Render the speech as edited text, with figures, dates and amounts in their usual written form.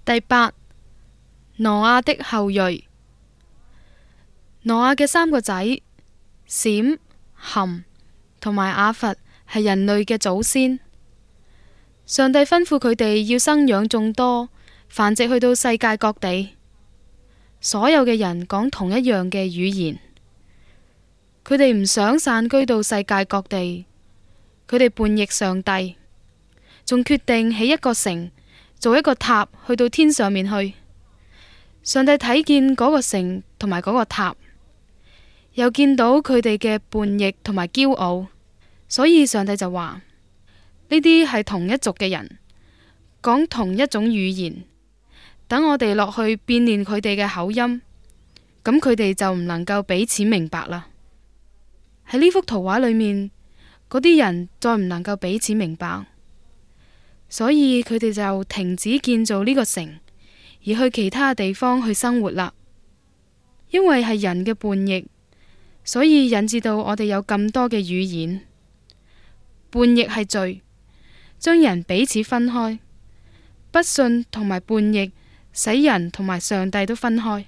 第八，挪亞的後裔。挪亞嘅三個仔閃、含同埋雅弗係人類嘅祖先。上帝吩咐佢哋要生養眾多，繁殖去到世界各地。所有嘅人講同一樣嘅語言。佢哋唔想散居到世界各地，佢哋叛逆上帝，仲決定起一個城，做一個塔去到天上面去。上帝睇見嗰個城同埋嗰個塔，又見到佢哋嘅叛逆同埋驕傲，所以上帝就話：呢啲係同一族嘅人，講同一種語言，等我哋落去變練佢哋嘅口音，咁佢哋就唔能夠彼此明白啦。喺呢幅圖畫裏面，嗰啲人再唔能夠彼此明白，所以佢哋就停止建造呢個城，而去其他地方去生活啦。因為係人嘅叛逆，所以引致到我哋有咁多嘅語言。叛逆係罪，將人彼此分開。不信同埋叛逆，使人同埋上帝都分開。